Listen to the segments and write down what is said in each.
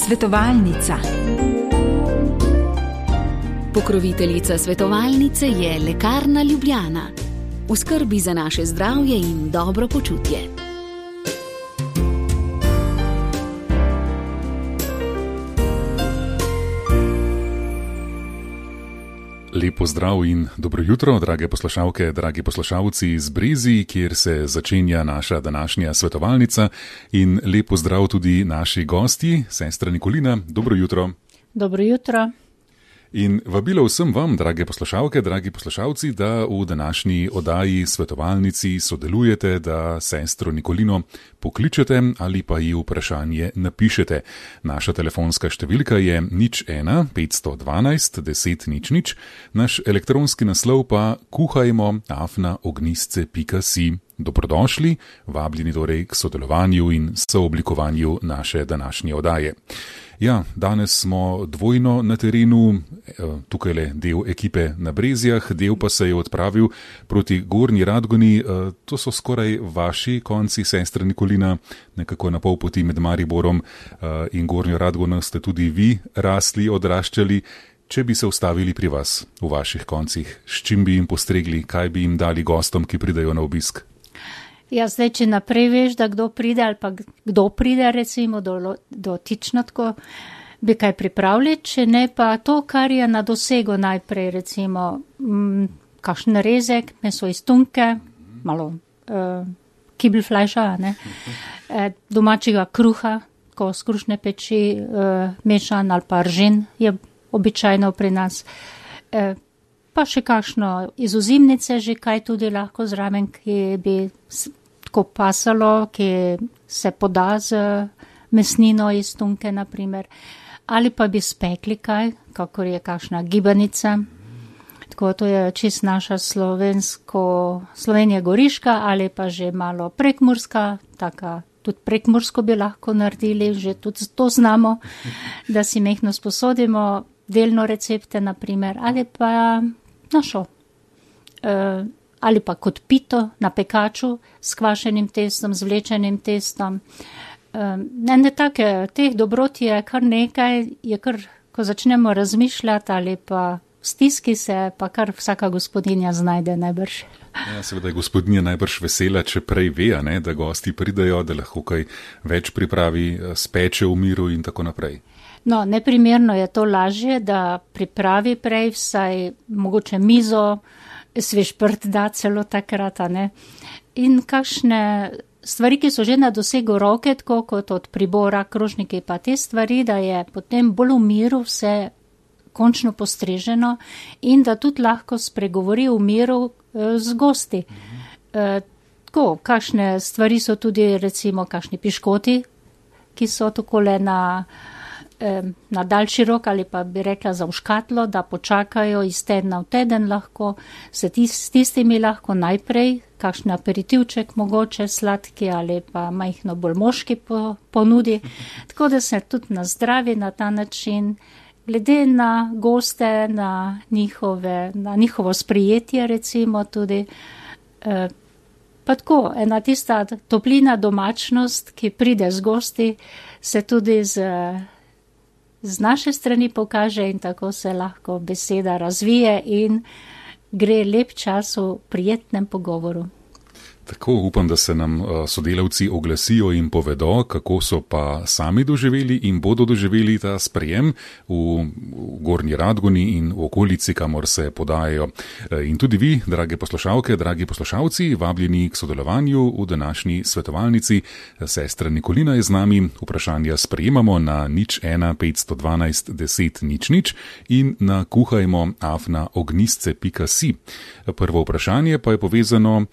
Svetovalnica. Pokroviteljica svetovalnice je Lekarna Ljubljana. V skrbi za naše zdravje in dobro počutje. Lepo zdrav in dobro jutro, drage poslušalke, dragi poslušalci iz Brezij, kjer se začenja naša današnja svetovalnica. In lepo zdrav tudi naši gosti, sestra Nikolina. Dobro jutro. Dobro jutro. In vabilo vsem vam, drage poslušalke, dragi poslušalci, da v današnji oddaji svetovalnici sodelujete, da sestro Nikolino pokličete ali pa ji vprašanje napišete. Naša telefonska številka je 01 512 10 00, naš elektronski naslov pa kuhajmo@ognisce.si. Dobrodošli, vabljeni torej k sodelovanju in sooblikovanju naše današnje oddaje. Ja, danes smo dvojno na terenu, tukaj le del ekipe na Brezjah, del pa se je odpravil proti Gornji Radgoni. To so skoraj vaši konci, sestra Nikolina, nekako na pol poti med Mariborom in Gornjo Radgono ste tudi vi rasli, odraščali. Če bi se ustavili pri vas, v vaših koncih, s čim bi jim postregli, kaj bi jim dali gostom, ki pridejo na obisk? Ja, zdaj, če naprej veš, da kdo pride ali pa kdo pride, recimo, dotično tako, bi kaj pripravili, če ne pa to, kar je na dosegu najprej, recimo, kakšen rezek, meso iz tunke, malo kibelflajša, ne, domačega kruha, ko z krušne peči mešan ali pa ržin je običajno pri nas, pa še kakšno iz ozimnice, že kaj tudi lahko zraven, ki bi tako pasalo, ki se poda z mesnino iz tunke, naprimer. Ali pa bi spekli kaj, kakor je kakšna gibanica. Tako to je čist naša Slovenija goriška ali pa že malo prekmurska, taka tudi prekmursko bi lahko naredili, že tudi to znamo, da si mehno sposodimo delno recepte, naprimer, ali pa našo, ali pa kot pito na pekaču s kvašenim testom, z vlečenim testom. Ne take, teh dobrot je kar nekaj, je kar, ko začnemo razmišljati ali pa v stiski se, pa kar vsaka gospodinja znajde najbrž. Ja, seveda je gospodinja najbrž vesela, če prej ve, ne, da gosti pridejo, da lahko kaj več pripravi, speče v miru in tako naprej. No, neprimerno je to lažje, da pripravi prej vsaj mogoče mizo, svež prt da celo takrat, ne. In kakšne stvari, ki so že na dosegu roke, tako kot od pribora, krožniki, pa te stvari, da je potem bolj v miru vse končno postreženo in da tudi lahko spregovori v miru z gosti. Tako, kakšne stvari so tudi recimo kakšni piškoti, ki so takole na daljši rok ali pa bi rekla za v škatlo, da počakajo iz tedna v teden lahko, se s tistimi lahko najprej, kakšen aperitivček mogoče sladki ali pa majhno bolj moški ponudi, tako da se tudi nazdravi na ta način, glede na goste, na njihovo sprijetje recimo tudi, pa tako, ena tista toplina domačnost, ki pride z gosti, se tudi z naše strani pokaže in tako se lahko beseda razvije in gre lep čas v prijetnem pogovoru. Tako, upam, da se nam sodelavci oglasijo in povedo, kako so pa sami doživeli in bodo doživeli ta sprejem v Gornji Radgoni in v okolici, kamor se podajajo. In tudi vi, drage poslušalke, dragi poslušalci, vabljeni k sodelovanju v današnji svetovalnici. Sestra Nikolina je z nami, vprašanja sprejemamo na 01 512 10 00 in na kuhajmo@ognisce.si. Prvo vprašanje pa je povezano,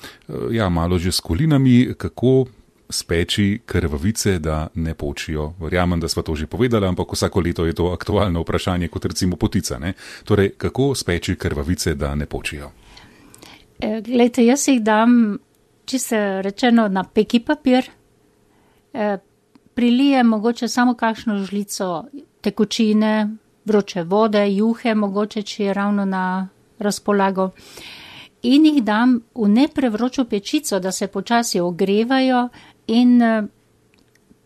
malo že s kolinami, kako speči krvavice, da ne počijo. Verjamem, da sva to že povedala, ampak vsako leto je to aktualno vprašanje, kot recimo potica, ne? Torej, kako speči krvavice, da ne počijo? Glejte, jaz jih dam, čisto rečeno, na peki papir, prilijem mogoče samo kakšno žlico tekočine, vroče vode, juhe, mogoče, če je ravno na razpolago. In jih dam v neprevročo pečico, da se počasi ogrevajo in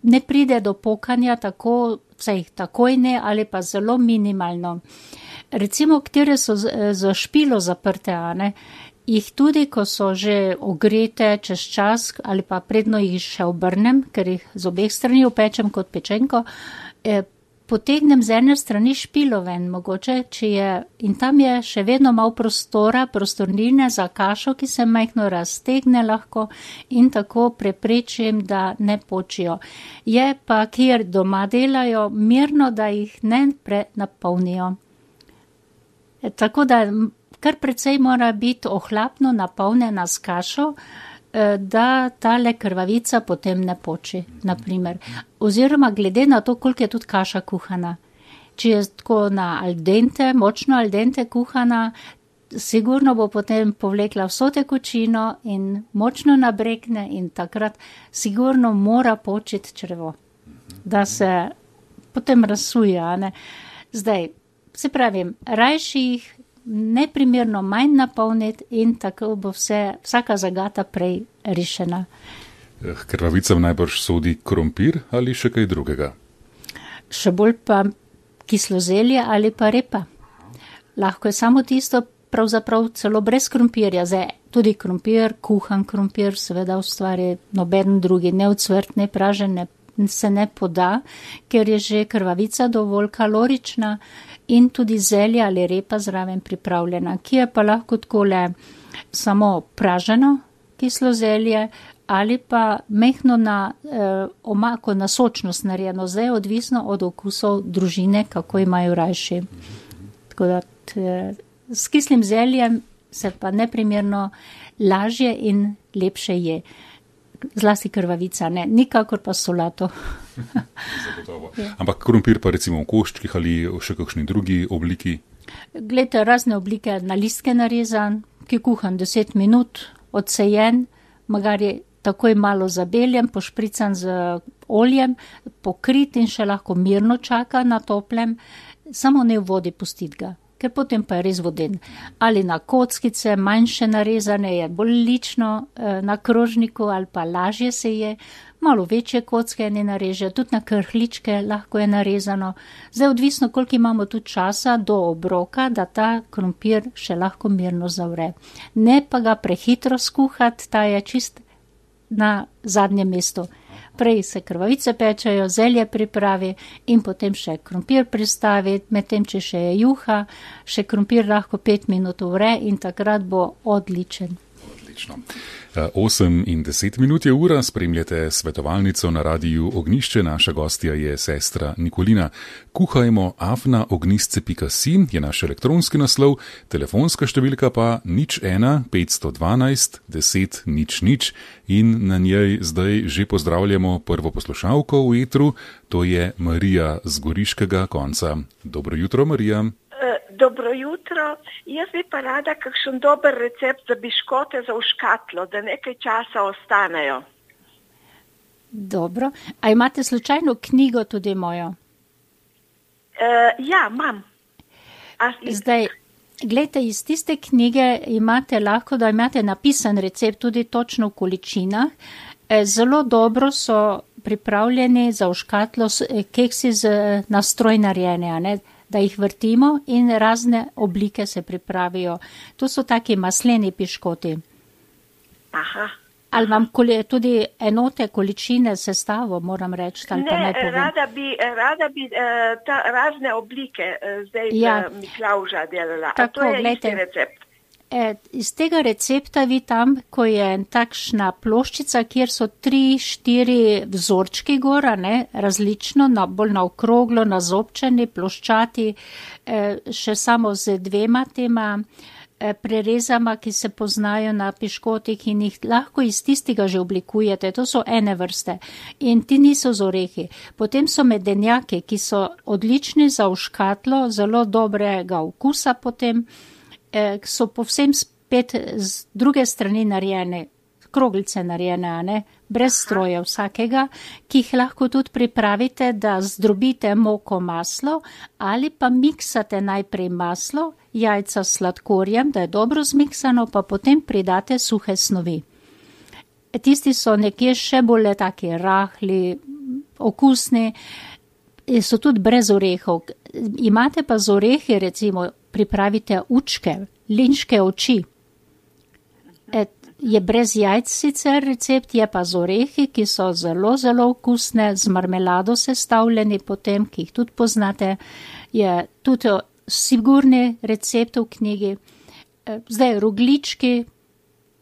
ne pride do pokanja tako, vsaj takoj ne, ali pa zelo minimalno. Recimo, katere so za špilo zaprte, jih tudi, ko so že ogrete čez čas, ali pa predno jih še obrnem, ker jih z obeh strani opečem kot pečenko, potegnem z ene strani špilo ven, mogoče, in tam je še vedno malo prostornine za kašo, ki se majhno raztegne lahko in tako preprečim, da ne počijo. Je pa, kjer doma delajo, mirno, da jih ne prenapolnijo. Tako da kar precej mora biti ohlapno napolnjena s kašo, da tale krvavica potem ne poči, naprimer. Oziroma glede na to, koliko je tudi kaša kuhana. Če je tako na al dente, močno al dente kuhana, sigurno bo potem povlekla vso tekočino in močno nabrekne in takrat sigurno mora počiti črevo, da se potem razsuje. Zdaj, se pravim, rajši jih neprimerno manj napolniti in tako bo vsaka zagata prej rešena. Krvavicam najbrž sodi krompir ali še kaj drugega? Še bolj pa kislo zelje ali pa repa. Lahko je samo tisto, pravzaprav celo brez krompirja. Zdaj, tudi krompir, kuhan krompir, seveda ustvari noben drugi, ne ocvrt, ne pražen, se ne poda, ker je že krvavica dovolj kalorična in tudi zelje ali repa zraven pripravljena, ki je pa lahko takole samo praženo kislo zelje ali pa mehno na omako, na sočnost narejeno, zdaj odvisno od okusov družine, kako imajo rajši. Tako da s kislim zeljem se pa neprimerno lažje in lepše je. Zlasti krvavica, ne, nikakor pa solato. Zagotovo. Ampak krompir pa recimo v koščkih ali v še kakšni drugi obliki? Glejte, razne oblike, na listke narezan, ki kuhan 10 minut, odsejen, magari takoj malo zabeljen, pošprican z oljem, pokrit in še lahko mirno čaka na toplem, samo ne v vodi pustiti ga. Ker potem pa je res voden. Ali na kockice, manjše narezane, je bolj lično na krožniku ali pa lažje se je, malo večje kocke ne nareže, tudi na krhličke lahko je narezano. Zdaj odvisno, koliko imamo tudi časa do obroka, da ta krompir še lahko mirno zavre. Ne pa ga prehitro skuhati, ta je čist na zadnjem mestu. Prej se krvavice pečajo, zelje pripravi in potem še krompir pristavi, medtem če še je juha, še krompir lahko 5 minut vre in takrat bo odličen. Odlično. 8 in 10 minut je ura, spremljate svetovalnico na radiju Ognjišče, naša gostja je sestra Nikolina. Kuhajmo afna.ognjisce.si je naš elektronski naslov, telefonska številka pa 01 512 10 00 in na njej zdaj že pozdravljamo prvo poslušalko v etru, to je Marija z Goriškega konca. Dobro jutro, Marija. Dobro jutro. Jaz bi pa rada kakšen dober recept za biškote za v škatlo, da nekaj časa ostanejo. Dobro. A imate slučajno knjigo tudi mojo? Ja, imam. Zdaj, gledajte, iz tiste knjige imate lahko, da imate napisan recept tudi točno v količinah. Zelo dobro so pripravljeni za v škatlo keksi na stroj narejene, ne? Da jih vrtimo in razne oblike se pripravijo. To so taki masleni piškoti. Aha. Ali vam tudi enote, količine, sestavo, moram reči, ali pa naj povem? Rada bi razne oblike zdaj Miklavža delala. Tako, to je glejte, isti recept. Iz tega recepta vi tam, ko je takšna ploščica, kjer so 3-4 vzorčki gora, ne, različno, bolj na okroglo, na zobčeni, ploščati, še samo z 2 tema prerezama, ki se poznajo na piškotih in jih lahko iz tistega že oblikujete. To so ene vrste in ti niso z orehi. Potem so medenjaki, ki so odlični za v škatlo, zelo dobrega okusa potem, so povsem spet z druge strani narejene, kroglice narejene, ne? Brez stroja vsakega, ki jih lahko tudi pripravite, da zdrobite moko, maslo ali pa miksate najprej maslo, jajca s sladkorjem, da je dobro zmiksano, pa potem pridate suhe snovi. Tisti so nekje še bolj taki rahli, okusni, so tudi brez orehov. Imate pa z orehi, recimo, pripravite učke, linške oči. Je brez jajc sicer recept, je pa z orehi, ki so zelo, zelo okusne, z marmelado sestavljeni potem, ki jih tudi poznate. Je tudi sigurni recept v knjigi. Zdaj roglički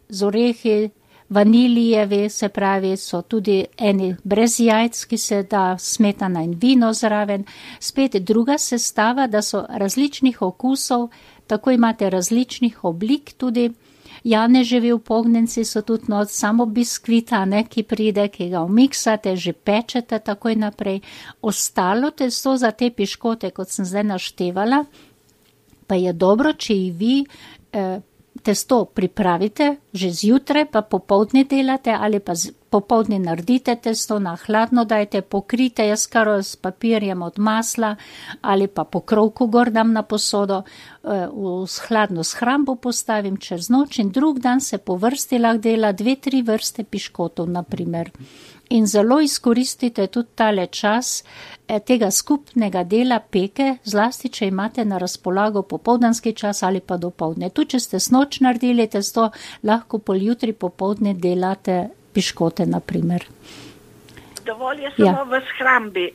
z orehi, vanilijevi, se pravi, so tudi eni brez jajc, ki se da smetana in vino zraven. Spet druga sestava, da so različnih okusov, tako imate različnih oblik tudi. Janeževi upognjenci so tudi samo biskvita, ki pride, ki ga umiksate, že pečete takoj naprej. Ostalo testo za te piškote, kot sem zdaj naštevala, pa je dobro, če jih vi testo pripravite, že zjutraj pa popoldne delate ali pa popoldne naredite testo, na hladno dajte, pokrite jaz kar s papirjem od masla ali pa pokrovku gor dam na posodo, v hladno shrambo postavim čez noč in drug dan se po vrsti lahko dela 2-3 vrste piškotov, naprimer. In zelo izkoristite tudi tale čas tega skupnega dela peke, zlasti, če imate na razpolago popoldanski čas ali pa dopoldne. Tu, če ste snoč naredili testo, lahko poljutri popoldne delate piškote, naprimer. Dovolj je samo v shrambi,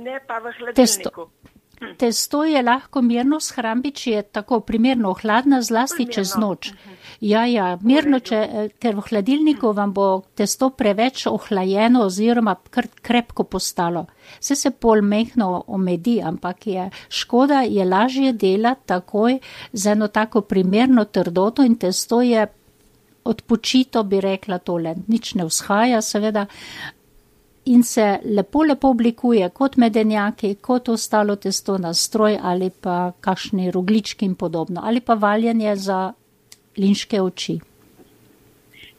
ne pa v hladilniku. Testo je lahko mirno v shrambi, če je tako primerno hladna, zlasti čez noč. Ja, mirno, ker v hladilniku vam bo testo preveč ohlajeno oziroma krepko postalo. Se pol mehno omedi, ampak je škoda, je lažje delati takoj z eno tako primerno trdoto in testo je odpočito, bi rekla tole. Nič ne vzhaja, seveda. In se lepo oblikuje kot medenjaki, kot ostalo testo na stroj ali pa kakšni roglički in podobno. Ali pa valjanje za linške oči.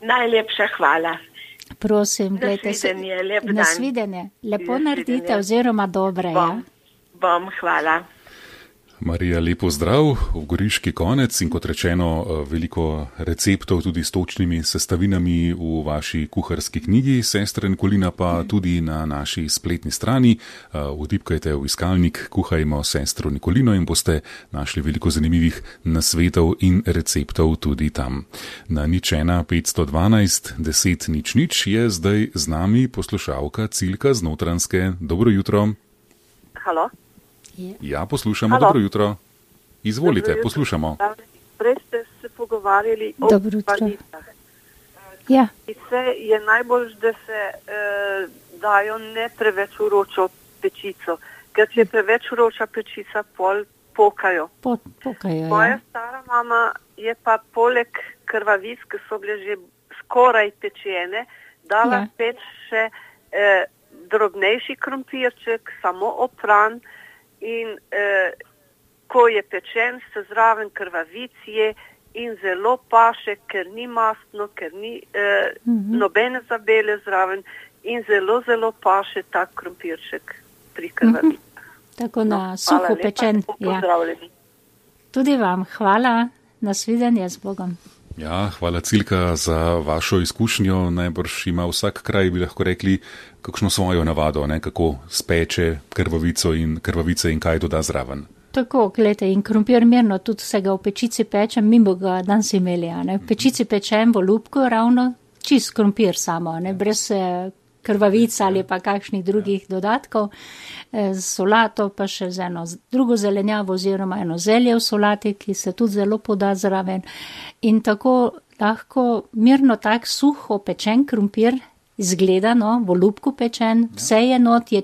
Najlepša hvala. Prosim, gledajte se. Nasvidenje. Lepo naredite oziroma dobre. Bom, hvala. Marija, lepo zdrav v Goriški konec in kot rečeno, veliko receptov tudi s točnimi sestavinami v vaši kuharski knjigi, Sestre Nikolina, pa tudi na naši spletni strani. Vtipkajte v iskalnik Kuhajmo Sestro Nikolino in boste našli veliko zanimivih nasvetov in receptov tudi tam. Na 01 512 10 00 je zdaj z nami poslušalka Cilka z Notranjske. Dobro jutro. Halo. Ja, poslušamo. Halo. Dobro jutro. Izvolite, dobro, poslušamo. Prej ste se pogovarjali o panicah. Ja. Panice je najbolj, da se dajo ne preveč vročo pečico, ker če je preveč vroča pečica, pol pokajo. Pokajo, Moja stara mama je pa poleg krvavic, ki so bile že skoraj pečene, dala peč še drobnejši krompirček, samo opran. In ko je pečen, se zraven krvavic je in zelo paše, ker ni mastno, ker ni nobene zabele zraven in zelo, zelo paše tak krompirček pri krvavicah. Tako na suho pečen. Pozdravljeni. Tudi vam hvala, nasvidenje z Bogom. Ja, hvala Cilka za vašo izkušnjo. Najbrž ima vsak kraj, bi lahko rekli, kakšno svojo navado, kako speče krvavice in kaj doda zraven. Tako, gledajte, in krompir mirno, tudi se ga v pečici pečem, mimo ga danes imeli, v pečici pečem v lupko ravno, čist krompir samo, brez krvavic ali pa kakšnih drugih dodatkov, z solato pa še z eno drugo zelenjavo oziroma eno zelje v solati, ki se tudi zelo poda zraven. In tako lahko mirno tak suho pečen krompir izgleda, v lupku pečen, vse je not, je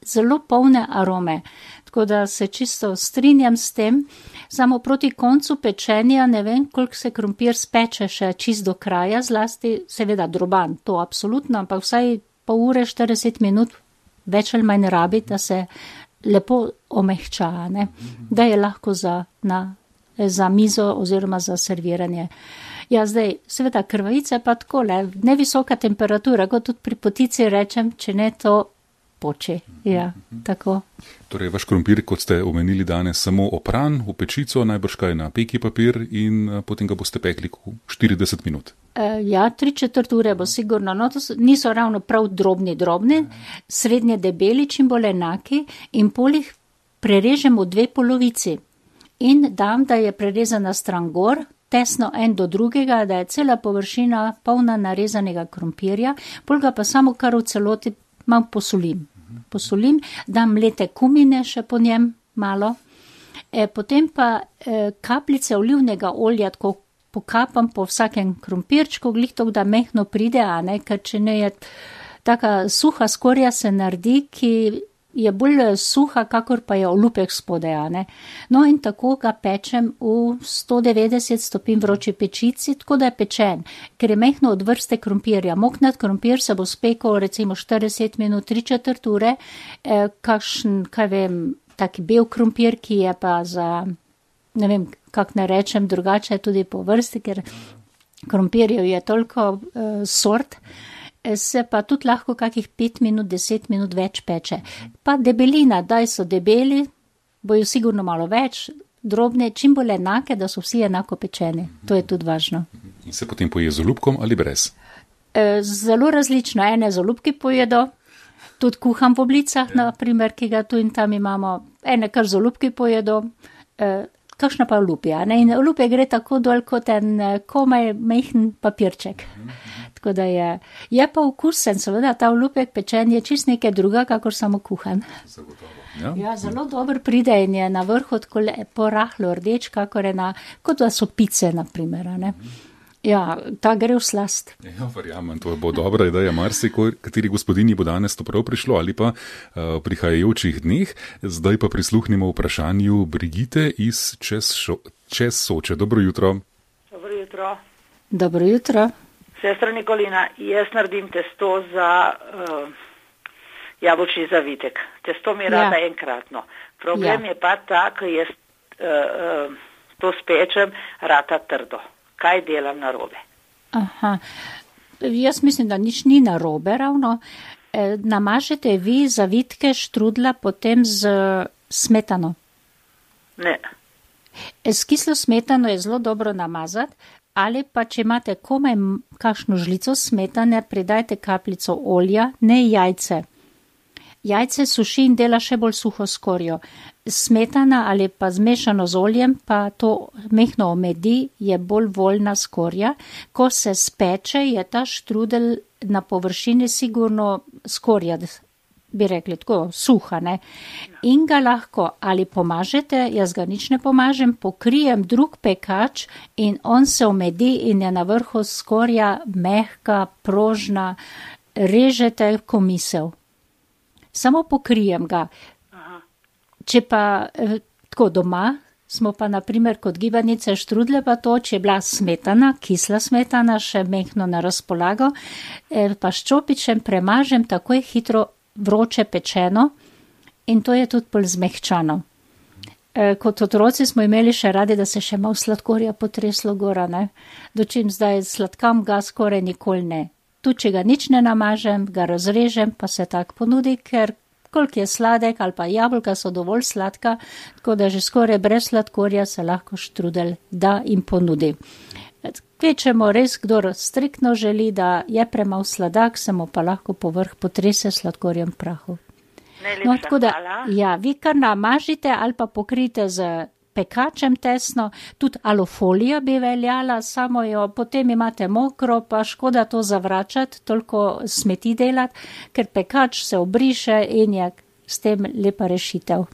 zelo polne arome. Tako da se čisto strinjam s tem, samo proti koncu pečenja ne vem, koliko se krompir speče še čist do kraja, zlasti seveda droban, to absolutno, ampak vsaj pol ure, 40 minut, več ali manj rabi, da se lepo omehča, da je lahko za mizo oziroma za serviranje. Ja, zdaj, seveda krvavice pa tako, nevisoka temperatura, kot tudi pri potici rečem, če ne to poči. Ja, tako. Torej, vaš krompir, kot ste omenili danes, samo opran v pečico, najbrž kaj na peki papir in potem ga boste pekli 40 minut. Ja, 3/4 ure bo sigurno. No, to niso ravno prav drobni, srednje debeli, čim bolj enaki in polih prerežem v 2 polovici. In dam, da je prerezana stran gor, tesno en do drugega, da je cela površina polna narezanega krompirja, pol ga pa samo kar v celoti malo posolim, dam mlete kumine še po njem malo, potem pa kapljice olivnega olja tako pokapam po vsakem krompirčku, glih to, da mehno pride, a ne, ker če ne je taka suha skorja se naredi, ki je bolj suha, kakor pa je olupek spodaj, a ne. No in tako ga pečem v 190 stopinj vroči pečici, tako da je pečen, ker je mehno od vrste krompirja. Moknat krompir se bo spekal recimo 40 minut, 3/4 ure, kakšen, kaj vem, taki bel krompir, ki je pa za, ne vem, kak ne rečem, drugače tudi po vrsti, ker krompirjev je toliko sort, se pa tudi lahko kakih 5 minut, 10 minut več peče. Pa debelina, daj so debeli, bojo sigurno malo več, drobne, čim bolj enake, da so vsi enako pečeni. To je tudi važno. In se potem poje z olupkom ali brez? Zelo različno, ene z olupki pojedo, tudi kuham v oblicah, naprimer, ki ga tu in tam imamo, ene kar z olupki pojedo, kakšna pa olupja, ne? In olupje gre tako dol kot en komaj mehen papirček. Tako da je pa okusen, seveda, ta olupek pečen je čist nekaj druga, kakor samo kuhan. Ja, zelo dober pride in je na vrhu tako porahlo rdeč, kakor je kot da so pice, naprimer, ne? Ja, ta gre v slast. Ja, verjamem, to bo dobra ideja. Kateri gospodinji bo danes to prav prišlo ali pa prihajajočih dneh. Zdaj pa prisluhnimo vprašanju Brigite iz čez Soče. Dobro jutro. Dobro jutro. Dobro jutro. Sestra Nikolina, jaz naredim testo za jabolčni zavitek. Testo mi rada enkratno. Problem je pa ta, ko jaz to spečem, rata trdo. Kaj delam narobe? Aha, jaz mislim, da nič ni narobe ravno. Namažete vi zavitke štrudla potem z smetano? Ne. S kislo smetano je zelo dobro namazati, ali pa če imate komaj kakšno žlico smetane, pridajte kapljico olja, ne jajce. Jajce suši in dela še bolj suho skorjo. Smetana ali pa zmešano z oljem, pa to mehno omedi, je bolj voljna skorja. Ko se speče, je ta štrudel na površini sigurno skorja, bi rekli, tako suha, ne. In ga lahko ali pomažete, jaz ga nič ne pomažem, pokrijem drug pekač in on se omedi in je na vrhu skorja mehka, prožna, režete komisel. Samo pokrijem ga. Če pa tako doma, smo pa naprimer kot gibanice štrudle pa to, če je bila smetana, kisla smetana, še mehno na razpolago, pa s čopičem premažem takoj hitro vroče pečeno in to je tudi bolj zmehčano. Kot otroci smo imeli še radi, da se še malo sladkorja potreslo gora, ne? Dočim zdaj sladkam ga skoraj nikoli ne. Tu, če ga nič ne namažem, ga razrežem, pa se tak ponudi, ker koliko je sladek ali pa jabolka so dovolj sladka, tako da že skoraj brez sladkorja se lahko štrudel da in ponudi. Kvečemo res, kdo striktno želi, da je premalo sladak, se mu pa lahko povrh potrese sladkorjem prahu. No, tako da, ja, vi kar namažite ali pa pokrijte z pekačem tesno, tudi alofolija bi veljala, samo jo potem imate mokro, pa škoda to zavračati, toliko smeti delati, ker pekač se obriše in je s tem lepa rešitev.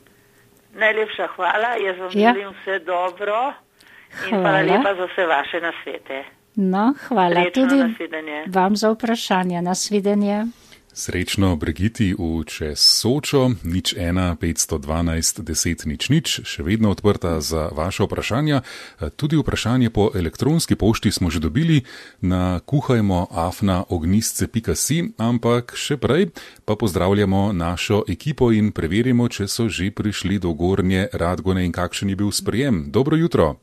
Najlepša hvala, jaz vam želim vse dobro in hvala lepa za vse vaše nasvete. No, hvala Srečno, tudi nasvidenje. Vam za vprašanje, nasvidenje. Srečno Brigiti v čez Sočo, 01 512 10 00, še vedno odprta za vaše vprašanja. Tudi vprašanje po elektronski pošti smo že dobili na kuhajmo@ognistce.si, ampak še prej pa pozdravljamo našo ekipo in preverimo, če so že prišli do Gornje Radgone in kakšen je bil sprejem. Dobro jutro.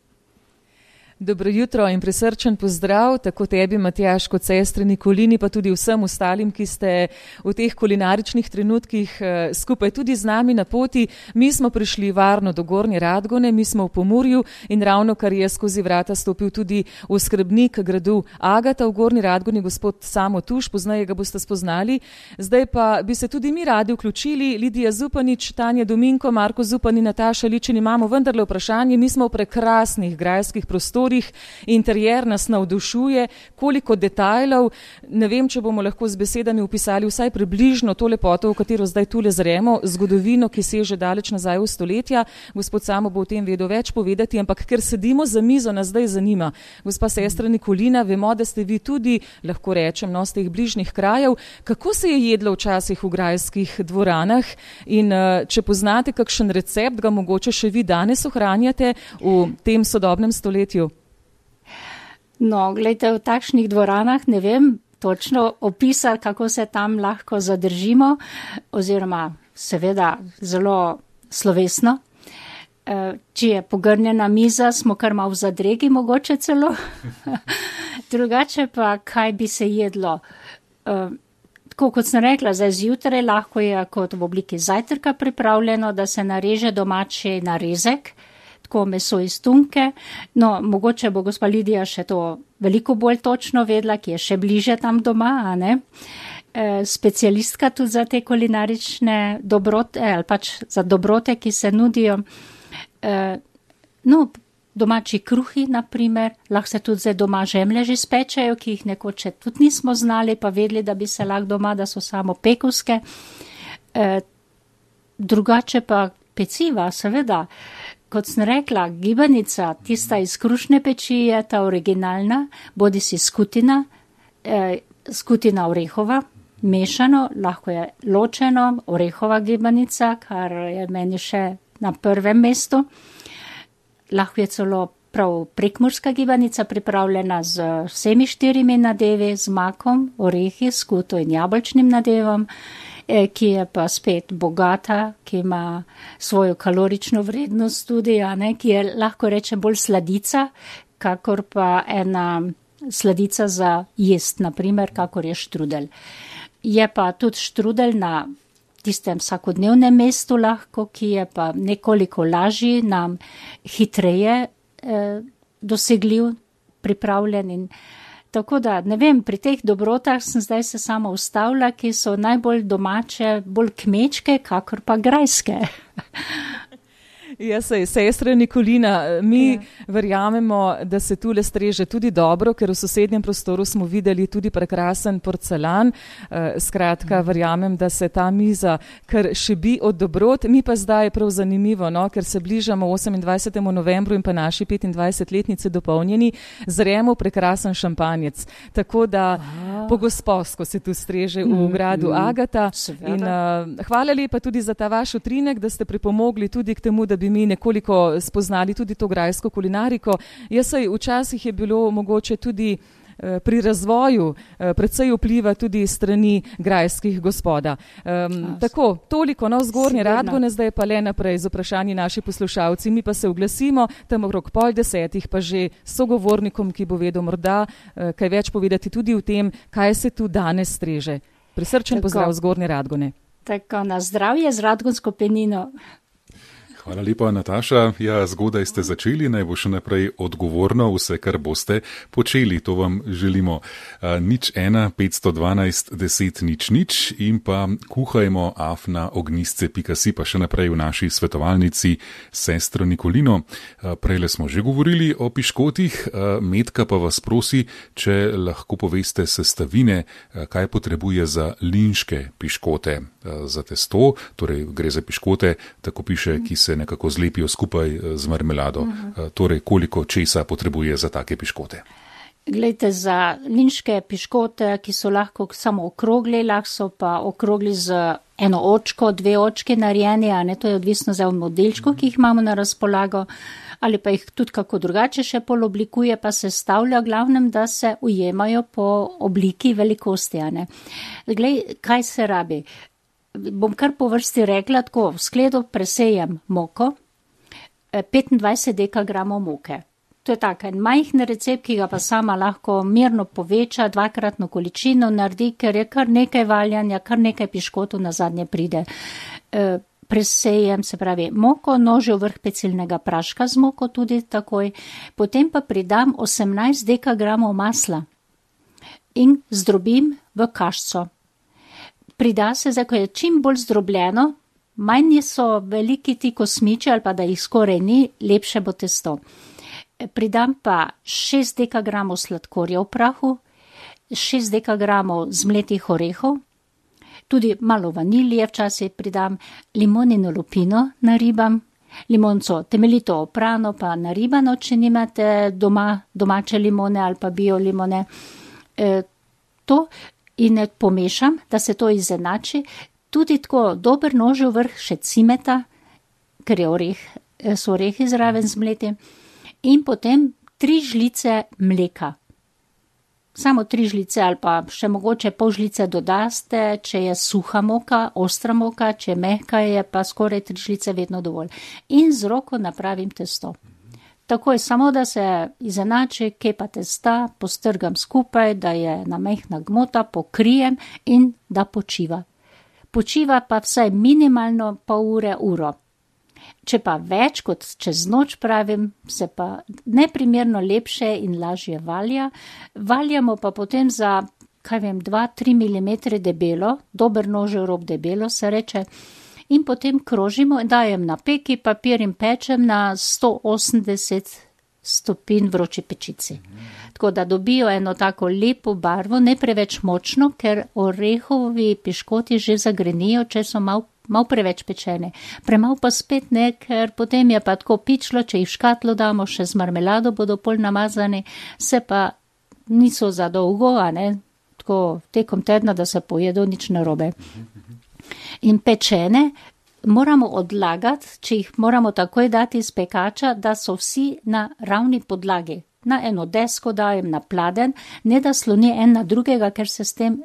Dobro jutro in prisrčen pozdrav, tako tebi, Matjaž, kot sestri Nikolini, pa tudi vsem ostalim, ki ste v teh kulinaričnih trenutkih skupaj tudi z nami na poti. Mi smo prišli varno do Gornje Radgone, mi smo v Pomurju in ravno kar je skozi vrata stopil tudi oskrbnik gradu Agata v Gornji Radgoni, gospod Samo Tuš, poznaje ga boste spoznali. Zdaj pa bi se tudi mi radi vključili, Lidija Zupanič, Tanja Dominko, Marko Zupani, Nataša Ličin, imamo vendarle vprašanje, mi smo v prekrasnih grajskih prostorih, interjer nas navdušuje, koliko detajlov, ne vem, če bomo lahko z besedami opisali vsaj približno to lepoto, v katero zdaj tule zremo, zgodovino, ki seže daleč nazaj v stoletja. Gospod Samo bo o tem vedel več povedati, ampak ker sedimo za mizo, nas zdaj zanima. Gospa sestra Nikolina, vemo, da ste vi tudi, lahko rečem, z teh bližnjih krajev. Kako se je jedlo včasih v grajskih dvoranah in če poznate kakšen recept, ga mogoče še vi danes ohranjate v tem sodobnem stoletju? No, gledajte, v takšnih dvoranah ne vem točno opisati, kako se tam lahko zadržimo, oziroma seveda zelo slovesno. Če je pogrnjena miza, smo kar malo v zadregi mogoče celo. Drugače pa, kaj bi se jedlo? Tako kot sem rekla, zdaj zjutraj lahko je kot v obliki zajtrka pripravljeno, da se nareže domači narezek, tako meso iz tunke. No, mogoče bo gospa Lidija še to veliko bolj točno vedla, ki je še bliže tam doma, a ne? Specialistka tudi za te kulinarične dobrote, ali pač za dobrote, ki se nudijo. No, domači kruhi, na primer, lahko se tudi zdaj doma žemlje že spečejo, ki jih nekoč tudi nismo znali, pa vedeli, da bi se lahko doma, da so samo pekovske. Drugače pa peciva, seveda. Kot sem rekla, gibanica, tista iz krušne peči je ta originalna, bodisi skutina, skutina orehova, mešano, lahko je ločeno, orehova gibanica, kar je meni še na prvem mestu. Lahko je celo prav prekmurska gibanica pripravljena z vsemi 4 nadevi, z makom, orehi, skuto in jabolčnim nadevom, ki je pa spet bogata, ki ima svojo kalorično vrednost tudi, ki je lahko reče bolj sladica, kakor pa ena sladica za jest, naprimer, kakor je štrudelj. Je pa tudi štrudelj na tistem vsakodnevnem mestu lahko, ki je pa nekoliko lažji, nam hitreje dosegljiv, pripravljen in tako da, ne vem, pri teh dobrotah sem zdaj se samo ustavila, ki so najbolj domače, bolj kmečke, kakor pa grajske. Ja, sestra Nikolina, mi verjamemo, da se tule streže tudi dobro, ker v sosednjem prostoru smo videli tudi prekrasen porcelan. Skratka, verjamem, da se ta miza kar šebi od dobrot. Mi pa zdaj je prav zanimivo, no, ker se bližamo 28. novembru in pa naši 25-letnici dopolnjeni, zremo prekrasen šampanjec. Tako da pogosposko se tu streže v gradu Agata. In hvala lepa tudi za ta vaš utrinek, da ste pripomogli tudi k temu, da bi mi nekoliko spoznali tudi to grajsko kulinariko. Včasih je bilo mogoče tudi pri razvoju precej vpliva tudi strani grajskih gospoda. Tako, toliko z Gornje Radgone, zdaj pa le naprej z vprašanji naši poslušalci. Mi pa se oglasimo, tam okrog 9:30 pa že sogovornikom, ki bo vedel morda kaj več povedati tudi o tem, kaj se tu danes streže. Prisrčen pozdrav z Gornje Radgone. Tako, na zdravje z Radgonsko penino. Hvala lepa, Nataša. Ja, zgodaj ste začeli, naj bo še naprej odgovorno vse, kar boste počeli. To vam želimo. 01 512 10 00 in pa kuhajmo afnaognjisce.si, pa še naprej v naši svetovalnici sestro Nikolino. Prejle smo že govorili o piškotih. Metka pa vas prosi, če lahko poveste sestavine, kaj potrebuje za linške piškote. Za testo, torej gre za piškote, tako piše, ki se nekako zlepijo skupaj z marmelado. Torej, koliko česa potrebuje za take piškote? Glejte, za linške piškote, ki so lahko samo okrogli, lahko so pa okrogli z eno očko, 2 očke narejeni, a ne, to je odvisno za modelčko, ki jih imamo na razpolago, ali pa jih tudi kako drugače še poloblikuje, pa se stavlja glavnem, da se ujemajo po obliki velikosti, a ne. Glej, kaj se rabi? Bom kar po vrsti rekla, tako v skledo presejem moko, 25 dekagramov moke. To je tak en majhen recept, ki ga pa sama lahko mirno poveča, 2-kratno količino naredi, ker je kar nekaj valjanja, kar nekaj piškotov na zadnje pride. Presejem, se pravi, moko, nožev vrh pecilnega praška z moko tudi takoj, potem pa pridam 18 dekagramov masla in zdrobim v kašco. Prida se, ko je čim bolj zdrobljeno, manj so veliki ti kosmiči ali pa da jih skoraj ni, lepše bo testo. Pridam pa 6 dekagramov sladkorja v prahu, 6 dekagramov zmletih orehov, tudi malo vanilije včasih pridam, limonino lupino naribam, limonco temeljito oprano pa naribano, če nimate domače limone ali pa bio limone. To in pomešam, da se to izenači, tudi tako dober nožev vrh še cimeta, ker so orehi zraven zmleti. In potem 3 žlice mleka. Samo 3 žlice ali pa še mogoče pol žlice dodaste, če je suha moka, ostra moka, če je mehka, je pa skoraj 3 žlice vedno dovolj. In z roko napravim testo. Takoj samo, da se izenači kepa testa, postrgam skupaj, da je na mehna gmota, pokrijem in da počiva. Počiva pa vsaj minimalno pol ure, uro. Če pa več kot čez noč pravim, se pa neprimerno lepše in lažje valja. Valjamo pa potem za, 2-3 mm debelo, dober nožev rob debelo se reče, in potem krožimo, dajem na peki papir in pečem na 180 stopinj vroči pečici. Tako da dobijo eno tako lepo barvo, ne preveč močno, ker orehovi piškoti že zagrenijo, če so malo preveč pečene. Premal pa spet ne, ker potem je pa tako pičlo, če jih v škatlo damo, še z marmelado bodo pol namazani, se pa niso za dolgo, tako tekom tedna, da se pojedo nič narobe. In pečene moramo odlagati, če jih moramo takoj dati iz pekača, da so vsi na ravni podlagi. Na eno desko dajem na pladen, ne da sloni en na drugega, ker se s tem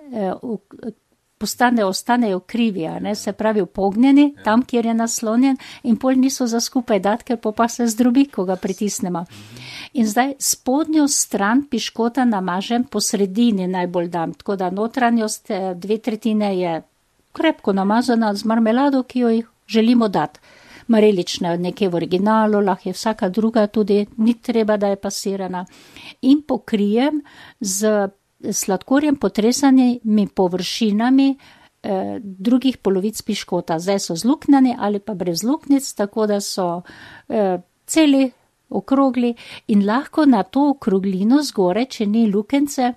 ostanejo krivi, se pravi upognjeni, tam, kjer je naslonjen in pol niso za skupaj dati, ker pa se zdrobi, ko ga pritisnemo. In zdaj spodnjo stran piškota namažem po sredini najbolj dam, tako da notranjost 2/3 je krepko namazana z marmelado, ki jo jih želimo dati. Marelična nekje v originalu, lahko je vsaka druga tudi, ni treba, da je pasirana. In pokrijem z sladkorjem potresanimi površinami drugih polovic piškota. Zdaj so zluknjeni ali pa brez luknic, tako da so celi, okrogli in lahko na to okroglino zgore, če ni lukence,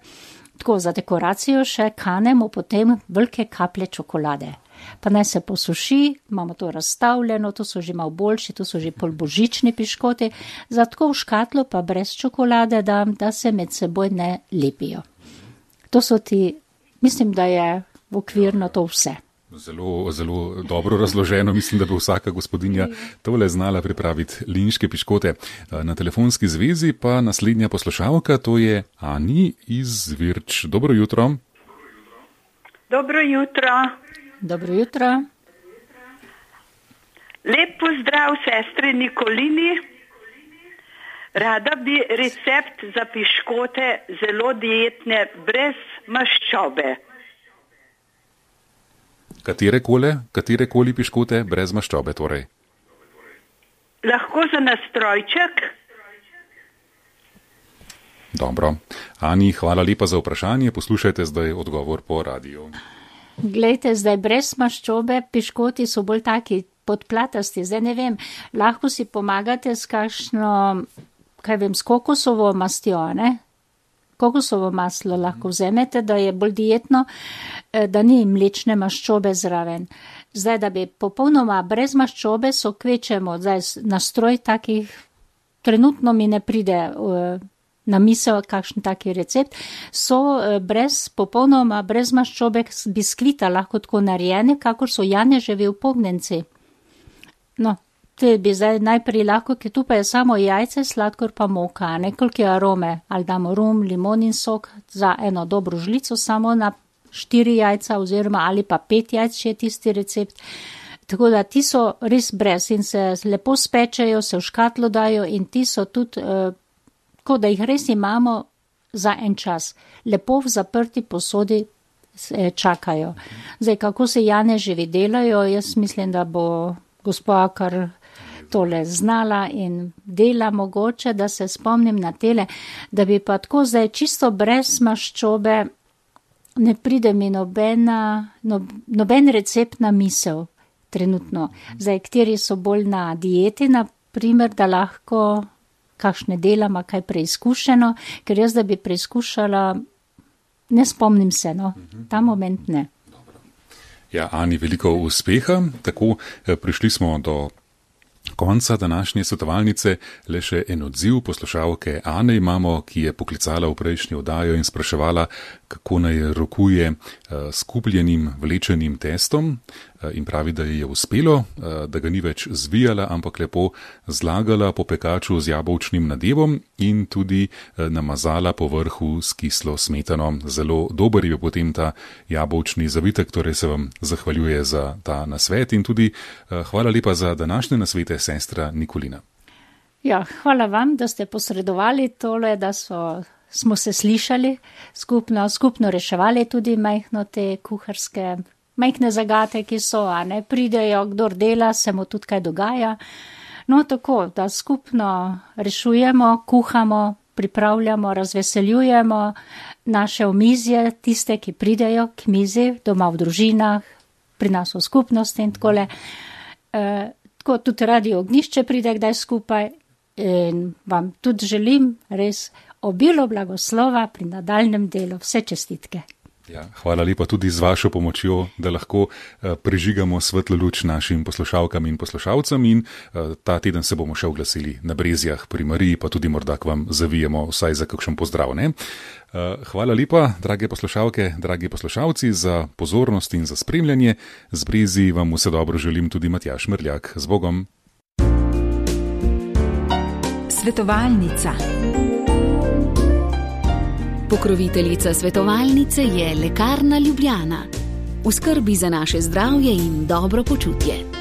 tako za dekoracijo še kanemo potem velike kaplje čokolade. Pa naj se posuši, imamo to razstavljeno, to so že malo boljši, to so že polbožični piškoti, zato v škatlo pa brez čokolade dam, da se med seboj ne lepijo. To so mislim, da je v okvirno to vse. Zelo, zelo dobro razloženo. Mislim, da bi vsaka gospodinja tole znala pripraviti linške piškote. Na telefonski zvezi pa naslednja poslušalka, to je Ani iz Virč. Dobro jutro. Dobro jutro. Dobro jutro. Lep pozdrav sestri Nikolini. Rada bi recept za piškote zelo dietne, brez maščobe. Katerekoli piškote brez maščobe, torej? Lahko za nastrojček. Dobro. Ani, hvala lepa za vprašanje. Poslušajte zdaj odgovor po radiju. Glejte, zdaj brez maščobe piškoti so bolj taki podplatasti. Zdaj ne vem, lahko si pomagate s kakšno, s kokosovo mastjo, ne? Kokosovo maslo lahko vzemete, da je bolj dietno, da ni mlečne maščobe zraven. Zdaj, da bi popolnoma brez maščobe, so kvečemo, zdaj nastroj takih, trenutno mi ne pride na misel kakšen taki recept, so popolnoma brez maščobe biskvita lahko tako narejene, kakor so janeževi upognjenci. No, te bi zdaj najprej lahko, ker tu pa je samo jajce, sladkor pa moka, nekoliko arome, ali damo rum, limonin sok, za eno dobro žlico samo na 4 jajca oziroma ali pa 5 jajc, če je tisti recept. Tako da ti so res brez in se lepo spečejo, se v škatlo dajo in ti so tudi tako da jih res imamo za en čas. Lepo v zaprti posodi čakajo. Zdaj, kako se janeževi delajo, jaz mislim, da bo gospa kar tole znala in dela mogoče, da se spomnim na tele, da bi pa tako zdaj čisto brez maščobe ne pride mi noben recept na misel trenutno. Zdaj, kateri so bolj na dieti, na primer, da lahko kakšne delama, kaj preizkušeno, ker jaz, da bi preizkušala, ne spomnim se, no, ta moment ne. Ja, Ani, veliko uspeha. Tako, prišli smo do konca današnje svetovalnice. Le še en odziv poslušalke Ane imamo, ki je poklicala v prejšnji oddajo in spraševala, kako naj rokuje s kupljenim vlečenim testom, in pravi, da ji je uspelo, da ga ni več zvijala, ampak lepo zlagala po pekaču z jabolčnim nadevom in tudi namazala po vrhu s kislo smetano. Zelo dober je potem ta jabolčni zavitek, torej se vam zahvaljuje za ta nasvet in tudi hvala lepa za današnje nasvete, sestra Nikolina. Ja, hvala vam, da ste posredovali tole, da smo se slišali skupno reševali tudi majhno te kuharske majhne zagate, ki so, a ne, pridejo, kdor dela, se mu tudi kaj dogaja. No, tako, da skupno rešujemo, kuhamo, pripravljamo, razveseljujemo naše omizje, tiste, ki pridejo k mizi, doma v družinah, pri nas v skupnosti in takole. Tako tudi Radio Ognjišče pride kdaj skupaj in vam tudi želim res obilo blagoslova pri nadaljnem delu. Vse čestitke. Ja, hvala lepa tudi z vašo pomočjo, da lahko prežigamo svetlo luč našim poslušalkam in poslušalcem in ta teden se bomo še oglasili na Brezjah pri Mariji, pa tudi morda k vam zavijemo vsaj za kakšen pozdrav, ne? Hvala lepa, drage poslušalke, dragi poslušalci, za pozornost in za spremljanje. Z Brezji vam vse dobro želim tudi Matjaž Mrljak. Z Bogom! Svetovalnica. Pokroviteljica svetovalnice je Lekarna Ljubljana. V skrbi za naše zdravje in dobro počutje.